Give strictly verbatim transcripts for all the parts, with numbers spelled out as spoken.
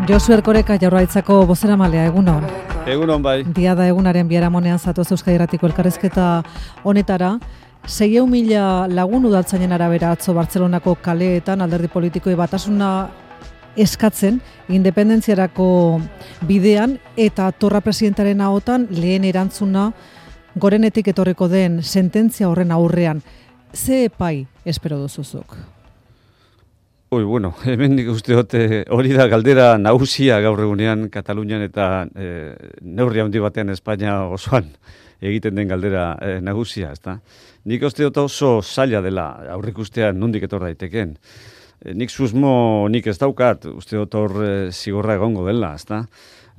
Josu Erkoreka Jaurlaritzako bozeramalea, egunon. Egunon bai. Diada egunaren biharamonean zatoz Euskadi Irratiko elkarrizketa honetara. Seiehun mila lagun udaltzainen arabera atzo Bartzelonako kaleetan alderdi politikoi batasuna eskatzen independentziarako bidean eta Torra presidentaren ahotan lehen erantzuna gorenetik etorriko den sententzia horren aurrean. Ze epai espero duzuzuk? Ui, bueno, hemen nik uste dute hori da galdera nagusia gaur egunean Katalunian eta e, neurri handi batean Espainia osoan egiten den galdera e, nagusia, ezta? Nik uste dut oso zaila dela aurrikustea nondik etor daitekeen. E, nik susmo nik ez daukat, uste dut hor e, zigorra egongo dela, ezta?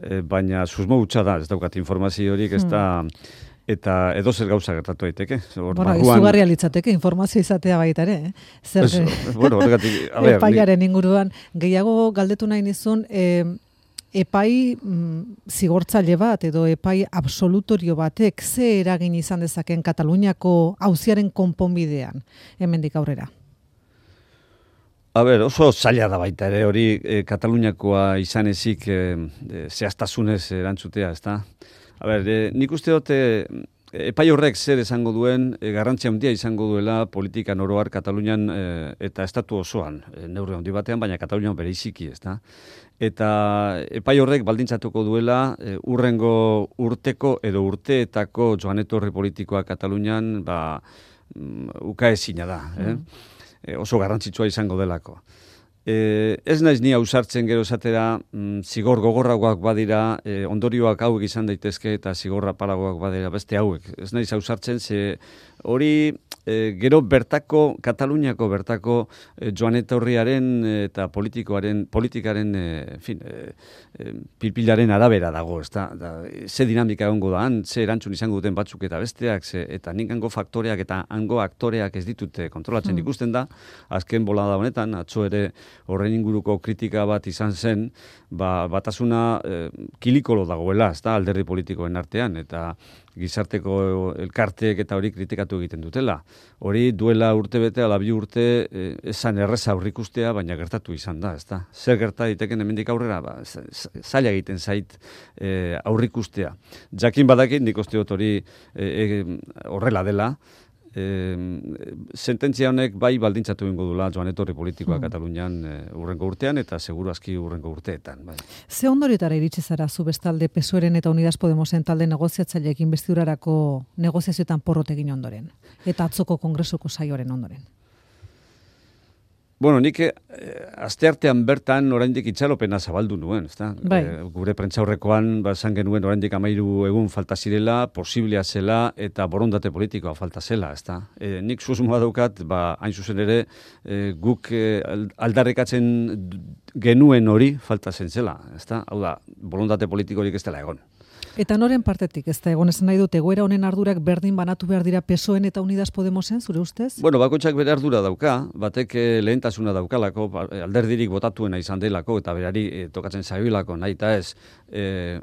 E, baina susmo hutsa da, ez daukat informaziorik, ez da... Hmm. Eta edo zer gauza gertatu daiteke. Bueno, barruan... izugarria litzateke informazio izatea baita ere. Eh? Zer es, bueno, horregatik, a ver, epaiaren inguruan. Gehiago galdetu nahi nizun, eh, epai mm, zigortzaile bat edo epai absolutorio batek ze eragin izan dezaken Kataluniako auziaren konponbidean, hemendik aurrera? A ber, oso zaila da baita ere hori eh, Kataluniakoa izan ezik eh, eh, zehaztasunez erantzutea, ezta? A ber, eh, nik uste dute epai horrek zer esango duen, eh, garrantzia handia izango duela politikan oroar Katalunian eh, eta estatu osoan, eh, neurri handi batean, baina Katalunian bereziki, ezta? Eta epai horrek baldintzatuko duela eh, urrengo urteko edo urteetako joan etorri politikoa Katalunian, ba, mm, ukaezina da, eh? Mm. Eh, oso garrantzitsua izango delako. Eh, ez naiz ni ausartzen gero esatera mm, zigor gogorragoak badira, eh, ondorioak hauek izan daitezke eta zigorra paragoak badira beste hauek. Ez naiz ausartzen, ze hori eh, gero bertako, Kataluniako bertako eh, joan etorriaren eta politikoaren, politikaren eh, fin, eh, eh, pilpilaren arabera dago, ezta? Da, ze dinamika egongo da, han, ze erantzun izango duten batzuk eta besteak, ze, eta nik hango faktoreak eta hango aktoreak ez ditute kontrolatzen mm. ikusten da, azken bolada honetan, atzo ere horren inguruko kritika bat izan zen, ba, batasuna eh, kilikolo dagoela, ezta, alderdi politikoen artean, eta gizarteko elkarteek eta hori kritikatu egiten dutela. Hori duela urte bete, ala bi urte, eh, esan erreza aurrikustea, baina gertatu izan da, ezta. Zer gerta diteken hemendik aurrera, ba, zaila egiten zait eh, aurrikustea. Jakin badakit, nik uste dut hori eh, eh, horrela dela, E, sententzia honek bai baldintzatu egingo dula joan etorri politikoa hmm. Katalunian e, urrengo urtean eta seguru aski urrengo urteetan. Bai. Ze ondorietara iritsi zara zu bestalde P S O E-ren eta Unidas Podemosen talde negoziatzaileekin investidurarako negoziazioetan porrot egin ondoren eta atzoko kongresuko saioaren ondoren? Bueno, nik eh, asteartean bertan oraindik itxalopena zabaldu nuen, ezta? Bai. E, gure prentsaurrekoan ba esan genuen oraindik hamairu egun falta zirela, posiblea zela eta borondate politikoa falta zela, ezta? E, nik susmoa daukat, ba hain zuzen ere e, guk e, aldarrikatzen genuen hori falta zen zela, ezta? Hau da, borondate politikorik ez dela egon. Eta noren partetik, ez da egon esan nahi dut, egoera honen ardurak berdin banatu behar dira P S O E-en eta Unidas Podemosen, zure ustez? Bueno, bakoitzak bere ardura dauka, batek lehentasuna daukalako, alderdirik botatuena izan delako, eta berari e, tokatzen zailako nahi eta ez e,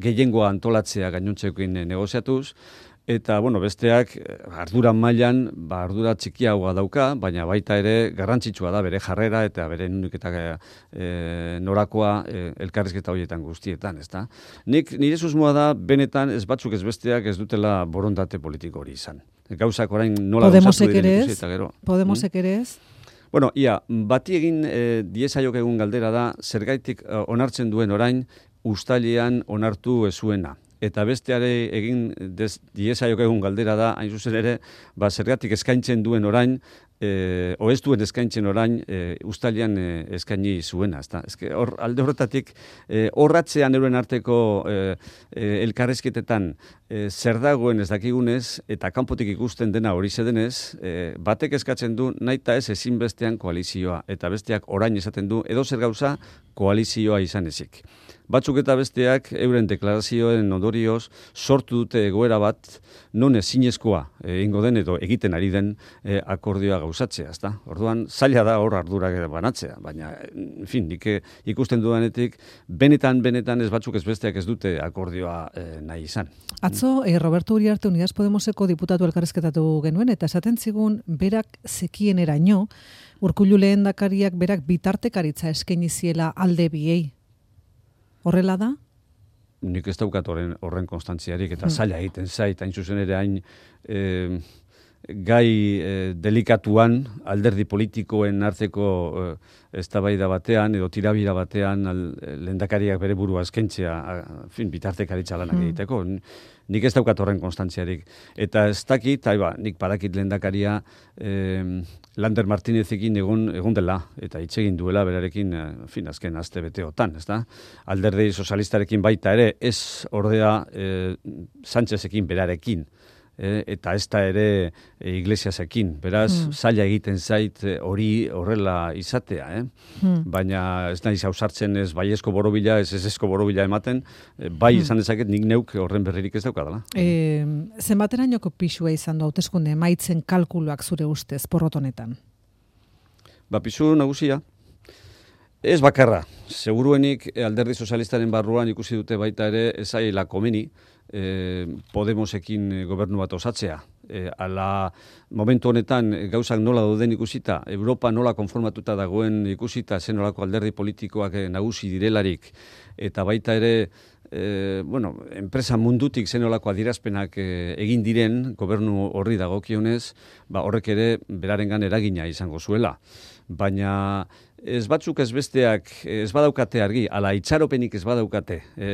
gehiengoa antolatzea gainontzekoin negoziatuz, eta, bueno, besteak ardura mailan, ba, ardura txikiagoa dauka, baina baita ere garrantzitsua da bere jarrera eta bere nunik eta e, norakoa e, elkarrizketa horietan guztietan, ezta? Nik, nire susmoa da, benetan ez batzuk ez besteak ez dutela borondate politiko hori izan. Gauzak orain nola gauzatu diren ikusi eta gero. Podemosek ere ez? Bueno, ia, bati egin e, diezaiok egun galdera da, zergaitik e, onartzen duen orain, ustailean onartu ezuena. Eta besteare egin diezaiok egun galdera da, hain zuzen ere, ba, zergatik eskaintzen duen orain, e, o ez duen eskaintzen orain, e, ustailean e, eskaini zuena. Ezta? Ezke, hor, alde horretatik, e, horratzean euren arteko e, e, elkarrezketetan e, zer dagoen ez dakigunez, eta kanpotik ikusten dena hori zedenez, e, batek eskatzen du naita ez ezinbestean koalizioa, eta besteak orain esaten du, edo zer gauza koalizioa izan ezik. Batzuk eta besteak euren deklarazioen ondorioz sortu dute egoera bat non ezinezkoa egingo den edo egiten ari den e, akordioa gauzatzea, ezta? Orduan zaila da hor ardurak banatzea, baina en fin, nik ikusten dudanetik benetan benetan ez batzuk ez besteak ez dute akordioa e, nahi izan. Atzo eh, Roberto Uriarte Unidas Podemoseko diputatu elkarrizketatu genuen eta esaten zigun berak zekieneraino Urkullu lehendakariak berak bitartekaritza eskaini ziela alde biei. Horrela da? Nik ez daukat horren, horren konstantziarik, eta hmm. zaila egiten zait, hain zuzen ere hain e, gai e, delikatuan, alderdi politikoen arteko e, eztabaida batean, edo tirabira batean, al, lehendakariak bere burua eskentzea, fin, bitartekaritza lanak hmm. egiteko. Nik ez daukat horren konstantziarik. Eta ez dakit, aiba, nik badakit lehendakaria eh, Lander Martinezekin egon, egon dela, eta hitz egin duela berarekin, eh, fin, azken azte beteotan, ez da? Alderdi sozialistarekin baita ere, ez ordea eh, Sánchezekin berarekin. E, eta ez da ere e, Iglesiasekin. Beraz, hmm. zaila egiten zait hori horrela izatea. Eh? Hmm. Baina ez naiz ausartzen ez baiezko borobila, ez ezezko borobila ematen, e, bai hmm. izan dezaket nik neuk horren berririk ez daukadala. E, zenbaterainoko pisua izan du hauteskunde emaitzen kalkuluak zure ustez porrot honetan? Ba, pisu nagusia. Ez bakarra. Seguruenik alderdi sozialistaren barruan ikusi dute baita ere ezaila komeni, Eh, Podemosekin gobernu bat osatzea. Eh, ala momentu honetan gauzak nola dauden ikusita, Europa nola konformatuta dagoen ikusita, zen nolako alderdi politikoak eh, nagusi direlarik, eta baita ere eh, bueno, enpresa mundutik zen nolako adierazpenak eh, egin diren gobernu horri dagokionez, ba, horrek ere berarengan eragina izango zuela. Baina ez batzuk ez besteak ez badaukate argi, ala itxaropenik ez badaukate, e,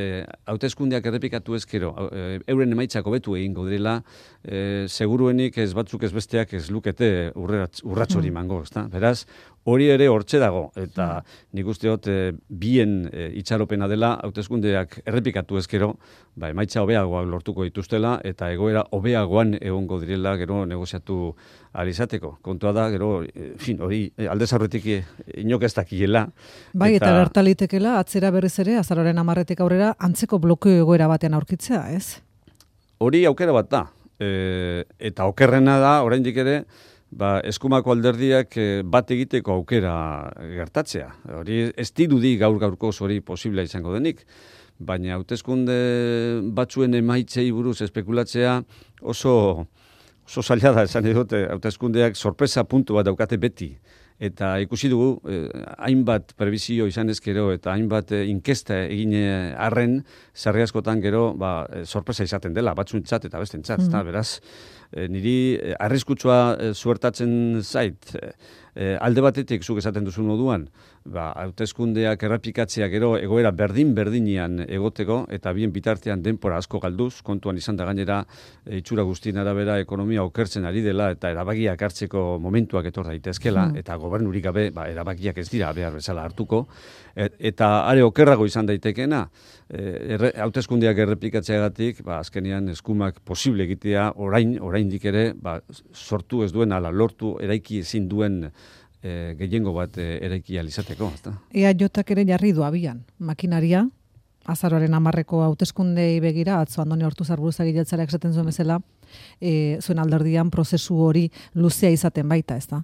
hauteskundeak errepikatu ezkero, e, euren emaitzak hobetu egingo direla, e, seguruenik ez batzuk ez besteak ez lukete urrats hori mango, ezta? Beraz, hori ere hortxe dago, eta nik usteot e, bien e, itxaropena dela hauteskundeak errepikatu ezkero, ba, emaitza hobeagoak lortuko dituztela, eta egoera hobeagoan egongo direla gero negoziatu alizateko. Kontua da, gero, e, fin, hori aldez aurretik inok ez dakiela. Bai, eta, eta gertalitekela, atzera berriz ere, azaroaren hamarretik aurrera, antzeko blokeo egoera batean aurkitzea, ez? Hori aukera bat da. E, eta okerrena da, oraindik ere, ba, eskumako alderdiak bat egiteko aukera gertatzea. Hori ez dirudi gaur gaurkoz hori posiblea izango denik. Baina hauteskunde batzuen emaitzei buruz espekulatzea oso, oso zaila da, esan dute, hauteskundeak sorpresa puntu bat daukate beti. Eta ikusi dugu, eh, hainbat prebizio izan ezkero eta hainbat eh, inkesta egin arren, sarri askotan gero ba, eh, sorpresa izaten dela, batzuntzat eta bestentzat. Mm. Beraz, eh, niri eh, arriskutsua eh, zuertatzen zait, eh, eh, alde batetik zuk esaten duzun moduan, ba, hauteskundeak errepikatzea gero egoera berdin-berdinean egoteko, eta bien bitartean denpora asko galduz, kontuan izan da gainera e, itxura guztien arabera ekonomia okertzen ari dela, eta erabakiak hartzeko momentuak etor daitezkela, hmm. eta gobernurik gabe ba, erabakiak ez dira behar bezala hartuko, e, eta are okerrago izan daitekeena, e, hauteskundeak errepikatzeagatik, ba, azkenean eskumak posible egitea orain, oraindik ere, ba, sortu ez duen ala lortu eraiki ezin duen E, gehiengo bat e, eraiki alizateko. E A J-ak ere jarri du abian, makinaria, azaroaren hamarreko hauteskundei begira, atzo Andoni Ortuzar buruzagi jeltzaleak esaten zuen bezala, e, zuen alderdian prozesu hori luzea izaten baita, ezta?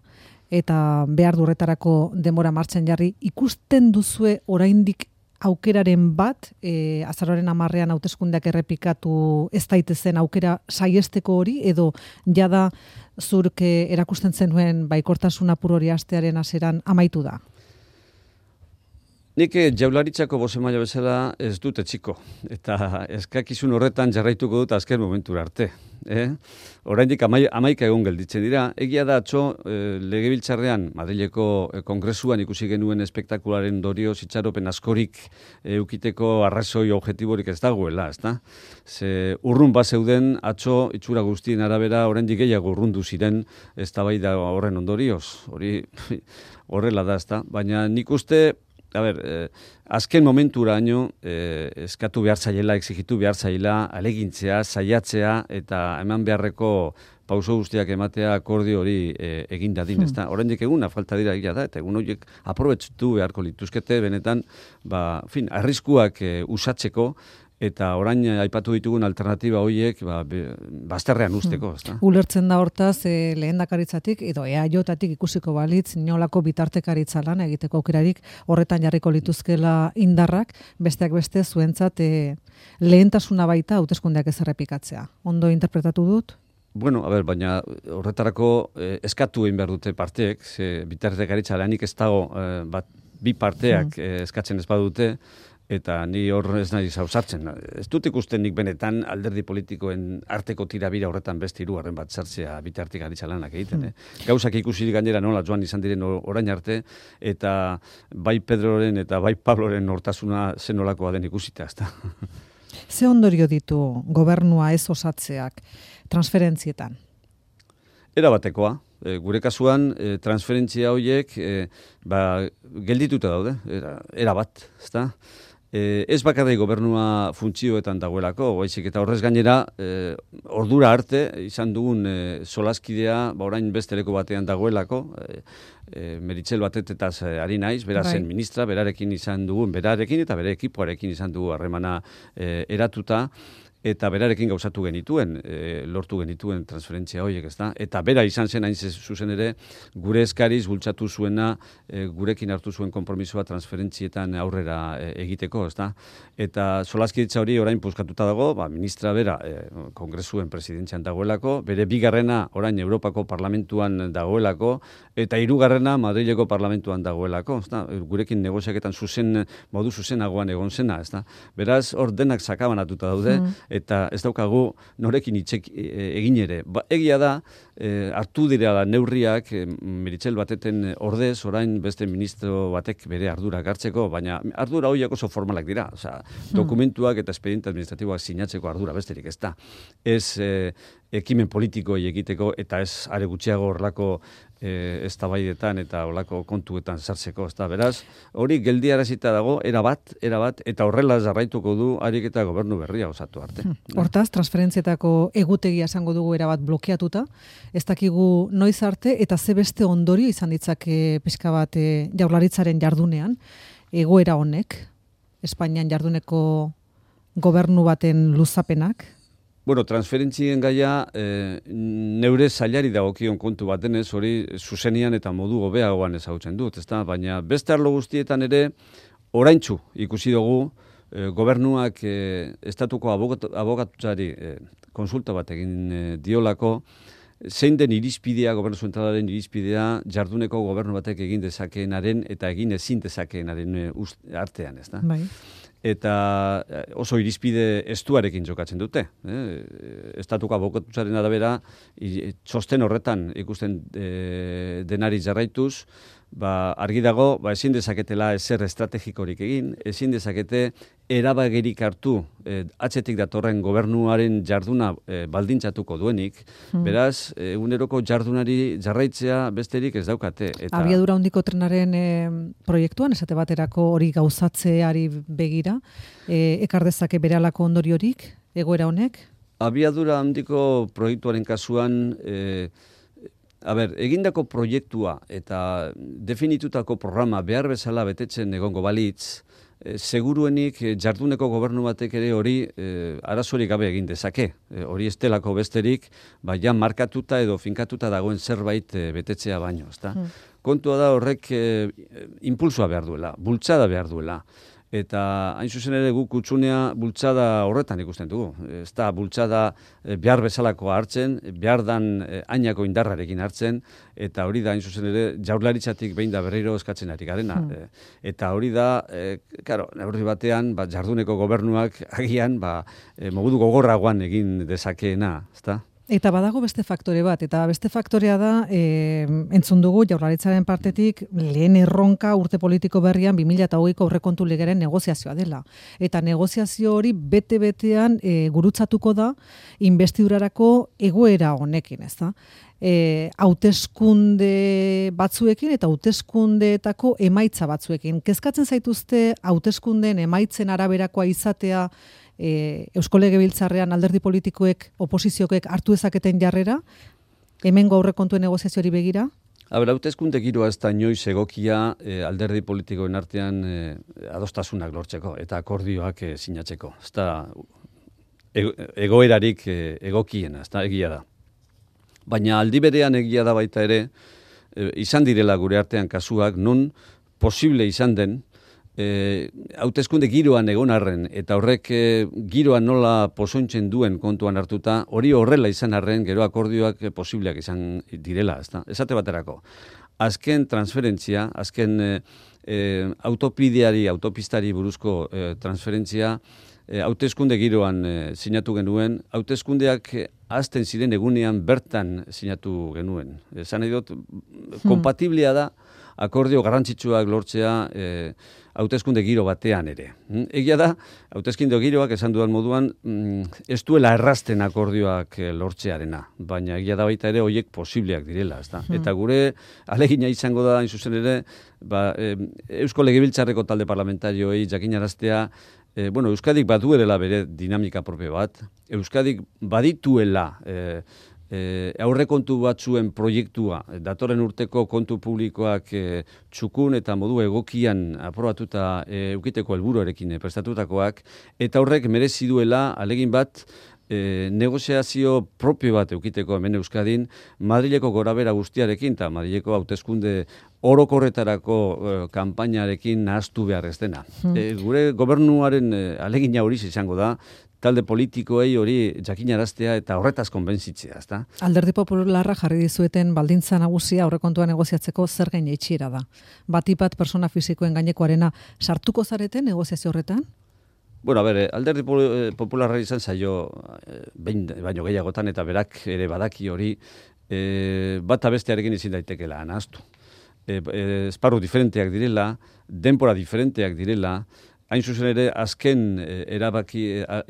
Eta behar durretarako denbora martxan jarri, ikusten duzue oraindik aukeraren bat, e, azaroaren hamarrean hauteskundeak errepikatu ez daitezen aukera saiesteko hori, edo jada zurk erakusten zenuen baikortasun apur hori astearen hasieran amaitu da? Nik jaularitzako bozemaila bezala ez dut etxiko, eta eskakizun horretan jarraituko dut azken momentura arte. Eh? Oraindik amai, amaika egon gelditzen dira. Egia da atzo eh, legebiltzarrean, Madrileko eh, kongresuan ikusi genuen espektakularen dorio itxaropen askorik eukiteko arrazoi objektiborik ez dagoela, ezta? Ze urrun bat zeuden atzo itxura guztien arabera oraindik gehiago urrundu ziren eztabaida horren ondorioz. Hori horrela da, ezta? Baina nik uste A ber, eh, azken momenturaino eh, eskatu behar zaiela, exigitu behar zaiela, alegintzea, saiatzea eta eman beharreko pauso guztiak ematea akordio hori eh, egin dadin, hmm. ezta? Oraindik eguna falta dira egia da, eta egun horiek aprobetxatu beharko lituzkete, benetan, ba, fin, arriskuak eh, usatzeko, eta orain aipatu ditugun alternatiba horiek ba, bazterrean usteko. Hmm. Ulertzen da hortaz, e, lehendakaritzatik edo E A J-tik ikusiko balitz, inolako bitartekaritza lan egiteko aukerarik horretan jarriko lituzkela indarrak, besteak beste zuentzat e, lehentasuna baita hauteskundeak ez errepikatzea. Ondo interpretatu dut? Bueno, a ber, baina horretarako eh, eskatu egin behar dute parteek, ze bitartekaritza lanik ez dago eh, bat, bi parteak hmm. eh, eskatzen ez badute, eta ni hor ez nahi zauzartzen. Ez dut ikusten nik benetan alderdi politikoen arteko tirabira horretan beste hirugarren bat sartzea bitartik aritza lanak egiten. Eh? Gauzak ikusi gainera nola joan izan diren orain arte, eta bai Pedroren eta bai Pabloren nortasuna zenolakoa den ikusita, ezta. Ze ondorio ditu gobernua ez osatzeak transferentzietan? Era batekoa. E, gure kasuan, e, transferentzia horiek e, ba, geldituta daude, era, era bat, ezta? E, ez bakarrik gobernua funtzioetan dagoelako, baizik eta horrez gainera, e, ordura arte izan dugun e, solaskidea, ba orain beste leku batean dagoelako, e, e, Meritxell Batetetaz ari naiz, bera zen bai. Ministra, berarekin izan dugun, berarekin eta bere ekipoarekin izan dugu harremana e, eratuta, eta berarekin gauzatu genituen, e, lortu genituen transferentzia horiek, ezta? Eta bera izan zen hain zuzen ere, gure eskariz bultzatu zuena, e, gurekin hartu zuen konpromisoa transferentzietan aurrera e, egiteko, ezta? Eta solaskidetza hori orain puskatuta dago, ba, ministra bera e, kongresuen presidentzian dagoelako, bere bigarrena orain Europako Parlamentuan dagoelako, eta hirugarrena Madrileko Parlamentuan dagoelako, ezta? Gurekin negoziaketan zuzen, modu zuzenagoan egon zena, ezta? Beraz, hor denak sakabanatuta daude, mm. eta ez daukagu norekin hitzek egin ere. Ba, egia da, e, hartu dira neurriak e, Meritxell Bateten ordez, orain beste ministro batek bere ardurak hartzeko, baina ardura horiek oso formalak dira. Osea, dokumentuak eta espediente administratiboak sinatzeko ardura besterik ez da. Ez e, ekimen politikoi egiteko eta ez are gutxiago horlako e, eztabaidetan eta horlako kontuetan sartzeko, ezta. Beraz, hori geldiarazita dago erabat, erabat eta horrela jarraituko du harik eta gobernu berria osatu arte. Hmm. Hortaz, transferentzietako egutegia esango dugu erabat blokeatuta, ez dakigu noiz arte eta ze beste ondorio izan ditzake pixka bat e, Jaurlaritzaren jardunean, egoera honek, Espainian jarduneko gobernu baten luzapenak. Bueno, transferentzien gaia e, neure zailari dagokion kontu bat denez, hori zuzenian eta modu hobeagoan ezagutzen dut, ezta? Baina beste arlo guztietan ere oraintsu ikusi dugu e, gobernuak e, estatuko abokatutzari e, konsulta bat egin e, diolako, zein den irizpidea, gobernu zentralaren irizpidea, jarduneko gobernu batek egin dezakeenaren eta egin ezin dezakeenaren e, artean, ezta? Bai. Eta oso irizpide estuarekin jokatzen dute. Eh? Estatuko abokatutzaren arabera, txosten horretan ikusten e, denari jarraituz, ba, argi dago, ba, ezin dezaketela ezer estrategikorik egin, ezin dezakete erabagerik hartu e, atzetik datorren gobernuaren jarduna e, baldintzatuko duenik, hmm. beraz, eguneroko jardunari jarraitzea besterik ez daukate. Eta abiadura handiko trenaren e, proiektuan, esate baterako hori gauzatzeari begira, e, ekar dezake berehalako ondoriorik, egoera honek? Abiadura handiko proiektuaren kasuan, e, a ber, egindako proiektua eta definitutako programa behar bezala betetzen egongo balitz, e, seguruenik e, jarduneko gobernu batek ere hori e, arazorik gabe egin dezake. E, hori estelako besterik, baina markatuta edo finkatuta dagoen zerbait e, betetzea baino, ezta? Hmm. Kontua da horrek e, impulsoa behar duela, bultzada behar duela. Eta hain zuzen ere guk kutsunea bultzada horretan ikusten dugu. Ez da bultzada behar bezalakoa hartzen, behar dan ainako indarrarekin hartzen, eta hori da hain zuzen ere Jaurlaritzatik behin da berriro eskatzen ari garena. Hmm. Eta hori da, e, karo, neurri batean, ba, jarduneko gobernuak agian, ba, e, mogudu gogorragoan egin dezakeena, ezta? Eta badago beste faktore bat, eta beste faktorea da, e, entzun dugu Jaurlaritzaren partetik lehen erronka urte politiko berrian bi mila hogeiko aurrekontu legeren negoziazioa dela. Eta negoziazio hori bete-betean e, gurutzatuko da inbestidurarako egoera honekin, ez da? E, hauteskunde batzuekin eta hauteskundeetako emaitza batzuekin. Kezkatzen zaituzte hauteskundeen emaitzen araberakoa izatea E, Eusko Legebiltzarrean alderdi politikoek, oposizioek hartu ezaketen jarrera, hemengo aurrekontuen negoziazioari begira? Aber, hauteskunde giroa ez da inoiz egokia e, alderdi politikoen artean e, adostasunak lortzeko eta akordioak e, sinatzeko. Ez da ego, egoerarik e, egokiena, ez da egia da. Baina aldi berean egia da baita ere, e, izan direla gure artean kasuak, non posible izan den, E, hauteskunde giroan egon arren, eta horrek e, giroan nola pozointzen duen kontuan hartuta, hori horrela izan arren, gero akordioak e, posibleak izan direla, ezta? Esate baterako. Azken transferentzia, azken e, e, autopideari, autopistari buruzko e, transferentzia, e, hauteskunde giroan e, sinatu genuen, hauteskundeak hasten ziren egunean bertan sinatu genuen. Esan nahi dut, kompatiblia da, akordio garrantzitsuak lortzea e, hauteskunde giro batean ere. Egia da, hauteskunde giroak esan dudan moduan, ez duela errazten akordioak lortzearena, baina egia da baita ere horiek posibleak direla. Ez da? Hmm. Eta gure alegina izango da, hain zuzen ere, ba, e, Eusko Legebiltzarreko talde parlamentarioei jakinaraztea, e, bueno, Euskadik baduela bere dinamika propio bat, Euskadik badituela e, E, aurrekontu batzuen proiektua, datorren urteko kontu publikoak e, txukun eta modu egokian aprobatuta e, eukiteko helburuarekin e, prestatutakoak, eta horrek merezi duela alegin bat e, negoziazio propio bat eukiteko hemen Euskadin, Madrileko gorabera guztiarekin eta Madrileko hauteskunde orokorretarako e, kanpainarekin nahaztu behar ez dena. Hmm. E, gure gobernuaren e, alegina hori izango da, talde politikoei hori jakinaraztea eta horretaz konbentzitzea, ezta? Alderdi Popularra jarri dizueten baldintza nagusia aurrekontua negoziatzeko zergen jaitsiera da. Batipat persona fisikoen gainekoarena sartuko zarete negoziazio horretan? Bueno, a ber, Alderdi Popularra izan zaio behin baino gehiagotan eta berak ere badaki hori e, bata bestearekin ezin daitekeela nahaztu. E, e, esparru diferenteak direla, denpora diferenteak direla, hain zuzen ere, azken erabaki,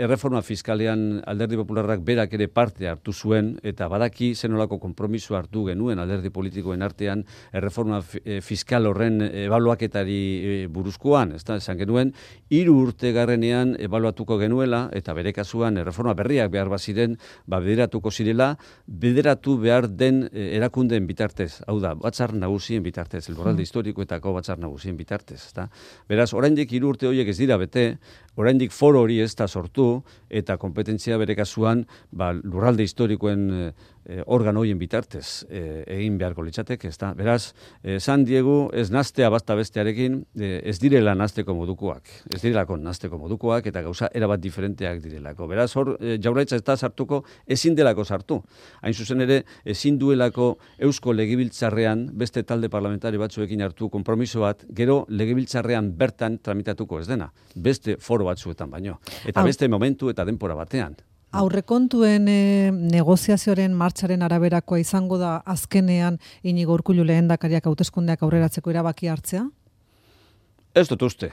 erreforma fiskalean Alderdi Popularrak berak ere parte hartu zuen, eta badaki zenolako konpromiso hartu genuen alderdi politikoen artean erreforma fiskal horren ebaluaketari buruzkoan, ez da, esan genuen, hiru urte garrenean ebaluatuko genuela, eta bere kasuan erreforma berriak behar baziren, ba, bederatuko zirela, bederatu behar den erakundeen bitartez, hau da, batzar nagusien bitartez, elborralde historikoetako batzar nagusien bitartez, ez da. Beraz, oraindik hiru urte horiek ez dira bete, oraindik foro hori ez da sortu, eta kompetentzia bere kasuan ba, lurralde historikoen e, organo horien bitartez e, egin beharko litzateke, ez da. Beraz, esan diegu ez naztea basta bestearekin, e, ez direla nazteko modukoak, ez direlako nazteko modukoak, eta gauza erabat diferenteak direlako. Beraz, hor, e, Jaurlaritza ez da sartuko, ezin delako sartu. Hain zuzen ere, ezin duelako Eusko Legebiltzarrean beste talde parlamentari batzuekin hartu konpromiso bat, gero Legebiltzarrean bertan tramitatuko ez dena, beste foro batzuetan baino, eta beste momentu eta denpora batean. Aurrekontuen e, negoziazioaren martxaren araberakoa izango da azkenean Inigo Urkullu lehendakariak hauteskundeak aurreratzeko erabaki hartzea? Ez dut uste.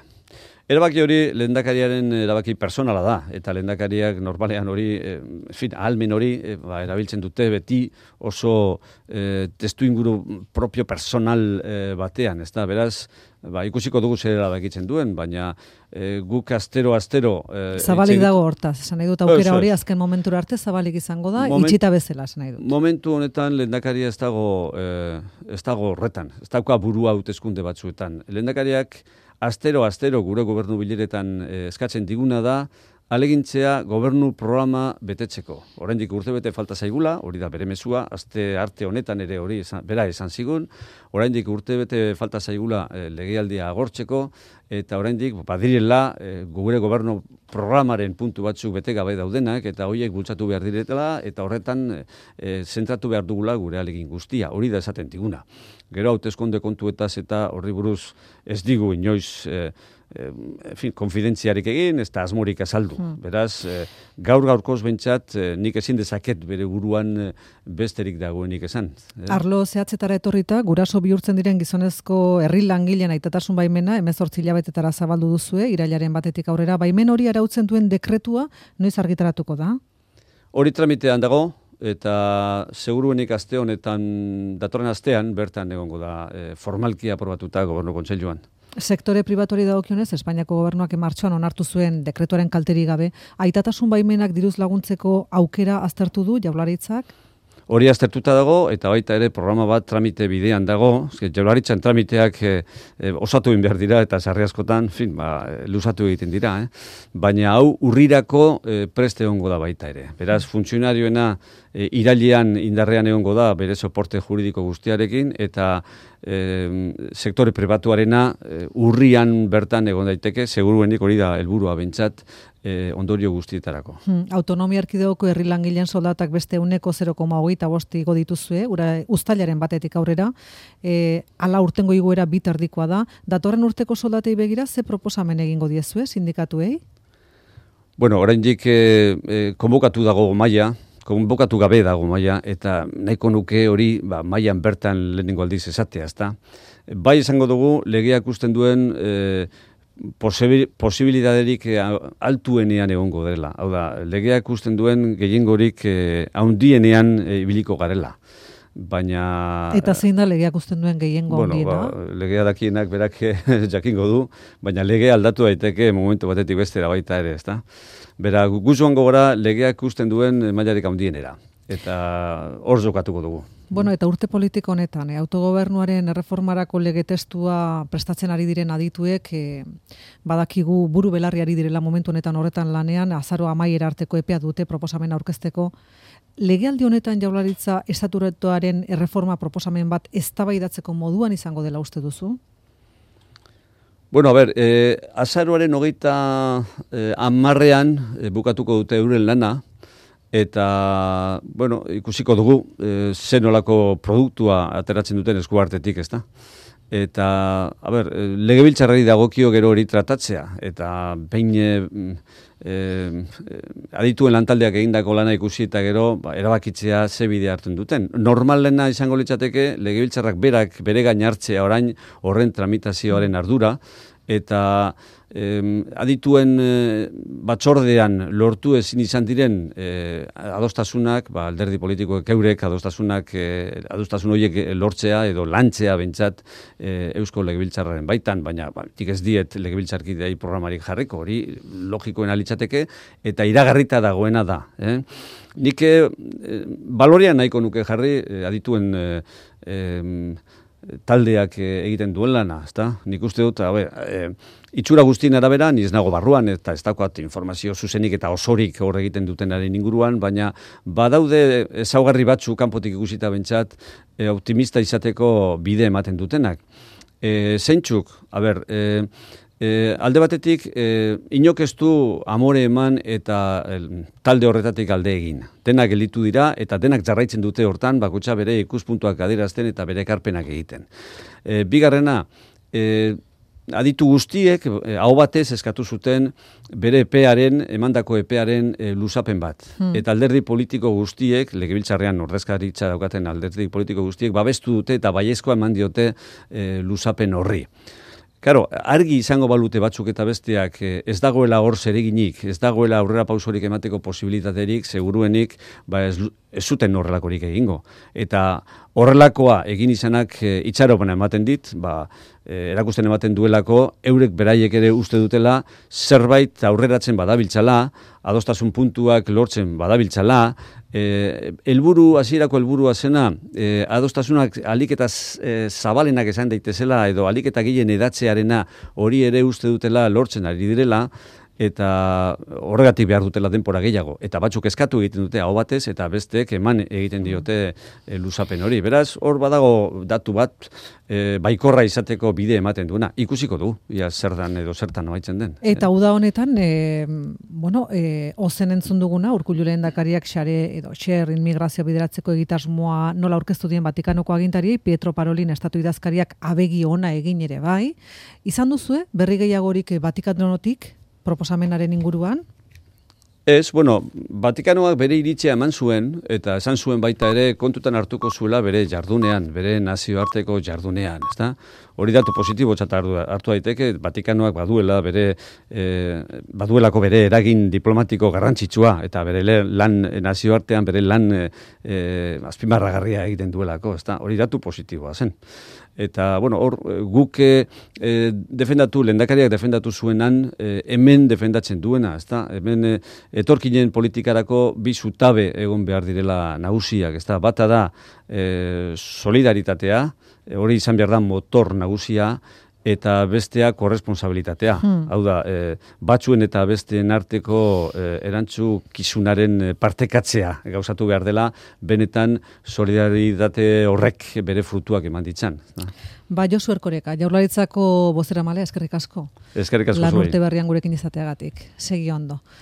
Erabaki hori lehendakariaren erabaki personala da, eta lehendakariak normalean hori, e, fin, ahalmen hori, e, ba, erabiltzen dute beti oso e, testu inguru propio personal e, batean, ez da, beraz, ba, ikusiko dugu zer erabakitzen duen, baina e, guk astero-astero... E, zabalik dago hortaz, esan nahi dut aukera hori azken momentura arte zabalik izango da, Moment, itxita bezala, esan nahi dut. Momentu honetan lehendakaria ez dago, e, ez dago horretan, ez dauka burua hauteskunde batzuetan. Lehendakariak astero-astero gure gobernu bileretan e, eskatzen diguna da, alegintzea gobernu programa betetzeko. Oraindik urtebete falta zaigula, hori da bere mezua, aste arte honetan ere hori esan, bera esan zigun, oraindik urtebete falta zaigula e, legealdia agortzeko, eta oraindik badirela e, gure gobernu programaren puntu batzuk bete gabe daudenak, eta horiek bultzatu behar diretela, eta horretan e, zentratu behar dugula gure alegin guztia, hori da esaten diguna. Gero hauteskunde kontuetaz eta horri buruz ez digu inoiz e, en fin, konfidentziarik egin, ez da asmorik azaldu. Hmm. Beraz, eh, gaur gaurkoz bentsat, eh, nik ezin dezaket bere buruan eh, besterik dagoenik esan. Eh? Arlo zehatzetara etorrita, guraso bihurtzen diren gizonezko herri langileen aitatasun baimena, hemezortzi hilabetetara zabaldu duzue, irailaren batetik aurrera, baimen hori arautzen duen dekretua, noiz argitaratuko da? Hori tramitean dago, eta seguruenik aste honetan, datorren astean, bertan egongo da eh, formalki aprobatuta gobernu kontseiluan. Sektore pribatuari dagokionez, Espainiako gobernuak martxoan onartu zuen dekretuaren kalterik gabe, aitatasun baimenak diruz laguntzeko aukera aztertu du Jaurlaritzak? Hori aztertuta dago, eta baita ere programa bat tramite bidean dago, Jaurlaritzan tramiteak e, e, osatu egin behar dira, eta sarri askotan, fin, ba, luzatu egiten dira, eh? Baina hau urrirako e, preste egongo da baita ere. Beraz, funtzionarioena e, irailean indarrean egongo da, bere soporte juridiko guztiarekin, eta e, sektore pribatuarena e, urrian bertan egon daiteke, seguruenik hori da helburua bentsat, e, ondorio guztietarako. Hmm, autonomia erkidegoko herri langileen soldatak beste uneko zero koma hogeita bost igo dituzue, ura uztailaren batetik aurrera, e, ala urtengo igoera bit erdikoa da. Datorren urteko soldatei begira, ze proposamen egingo diezue sindikatuei? Bueno, oraindik e, e, konbokatu dago maila, konbokatu gabe dago maila, eta nahiko nuke hori ba, mailan bertan lehenengo aldiz esatea, ezta? Bai esango dugu, legeak usten duen e, posibilidaderik altuenean egongo dela. Hau da, legeak usten duen gehiengorik e, handienean e, ibiliko garela. Baina... Eta zein da legeak usten duen gehiengo bueno, handiena? Ba, legea dakienak berak jakingo du, baina lege aldatu daiteke momentu batetik bestera baita ere, ezta? Bera, guzuan gogora legeak usten duen mailarik handienera. Eta hor jokatuko dugu. Bueno, eta urte politiko honetan, eh, autogobernuaren erreformarako lege testua prestatzen ari diren adituek, eh, badakigu buru belarri ari direla momentu honetan horretan lanean, azaro amaiera arteko epea dute proposamen aurkezteko. Legealdi honetan Jaurlaritza estatutuaren erreforma proposamen bat eztabaidatzeko moduan izango dela uste duzu? Bueno, a ver, eh, azaroaren hogeita eh, amarrean eh, bukatuko dute euren lana, eta, bueno, ikusiko dugu, e, zenolako produktua ateratzen duten eskuartetik, ezta? Eta, a ber, legebiltzarrari dagokio gero hori tratatzea, eta behin e, e, adituen lantaldeak egindako lana ikusi eta gero ba, erabakitzea ze bide hartzen duten. Normalena izango litzateke legebiltzarrak berak bere gain hartzea orain horren tramitazioaren ardura, eta eh, adituen eh, batzordean lortu ezin izan diren eh, adostasunak, ba, alderdi politikoek eurek adostasunak, eh, adostasun horiek lortzea edo lantzea bentsat eh, Eusko Legebiltzarraren baitan, baina ba, tik ez diet legebiltzarkidei programarik jarriko, hori logikoena litzateke eta iragarrita dagoena da. Eh? Nik eh, balorean nahiko nuke jarri eh, adituen eh, eh, taldeak egiten duen lana, ezta? Nik uste dut, habe, e, itxura guztien arabera, ni ez nago barruan, eta ez dakoat informazio zuzenik eta osorik hor egiten dutenaren inguruan, baina badaude ezaugarri batzu kanpotik ikusita bentsat, e, optimista izateko bide ematen dutenak. E, zeintzuk, a ber, e, E, alde batetik, e, inok ez du amore eman eta el, talde horretatik alde egin. Denak gelditu dira eta denak jarraitzen dute hortan, bakotxa bere ikuspuntuak adierazten eta bere ekarpenak egiten. E, bigarrena, e, aditu guztiek, e, aho batez eskatu zuten bere epearen, emandako epearen e, luzapen bat. Hmm. Eta alderdi politiko guztiek, legebiltzarrean ordezkaritza daukaten alderdi politiko guztiek, babestu dute eta baiezkoa eman diote e, luzapen horri. Claro, argi izango balute batzuk eta besteak ez dagoela hor zereginik, ez dagoela aurrera pausorik emateko posibilitaterik, seguruenik, ba ez, ez zuten horrelakorik egingo. Eta horrelakoa egin izanak e, itxaropena ematen dit, ba, e, erakusten ematen duelako, eurek beraiek ere uste dutela, zerbait aurreratzen badabiltzala, adostasun puntuak lortzen badabiltzala, E, elburu, hasierako helburua zena, e, adostasunak alik eta e, zabalenak esan daitezela edo alik eta gehien edatzearena hori ere uste dutela lortzen ari direla, eta horregatik behar dutela denpora gehiago. Eta batzuk eskatu egiten dute aho batez, eta besteek eman egiten diote e, luzapen hori. Beraz, hor badago datu bat e, baikorra izateko bide ematen duena. Ikusiko du, ia zertan edo zertan noaitzen den. Eta uda honetan, e, bueno, e, ozen entzun duguna, Urkullu lehendakariak xare edo xer inmigrazio bideratzeko egitasmoa nola aurkeztu dien Vatikanoko agintariei, Pietro Parolin estatu idazkariak abegi ona egin ere bai. Izan duzue, berri gehiagorik Vatikanotik, proposamenaren inguruan? Ez, bueno, Vatikanoak bere iritzia eman zuen, eta esan zuen baita ere kontutan hartuko zuela bere jardunean, bere nazioarteko jardunean, ezta? Hori datu positibo txata hartu daiteke, Vatikanoak baduela bere, e, baduelako bere eragin diplomatiko garrantzitsua, eta bere lan nazioartean, bere lan e, azpimarragarria egiten duelako, ezta? Hori datu positiboa zen. Eta, bueno, hor, guk e, defendatu, lehendakariak defendatu zuenan, e, hemen defendatzen duena, ezta? Hemen e, etorkinen politikarako bi zutabe egon behar direla nagusiak, ezta? Bata da e, solidaritatea, e, hori izan behar da motor nagusia, eta bestea korresponsabilitatea. Hmm. Hau da, e, batzuen eta besteen arteko e, erantzu kizunaren partekatzea gauzatu behar dela, benetan solidaritate horrek bere frutuak eman ditzan. Ba, Josu Erkoreka, Jaurlaritzako bozeramale, eskerrik asko. Eskerrik asko zuei. Lan urte berrian gurekin izateagatik. Segi ondo.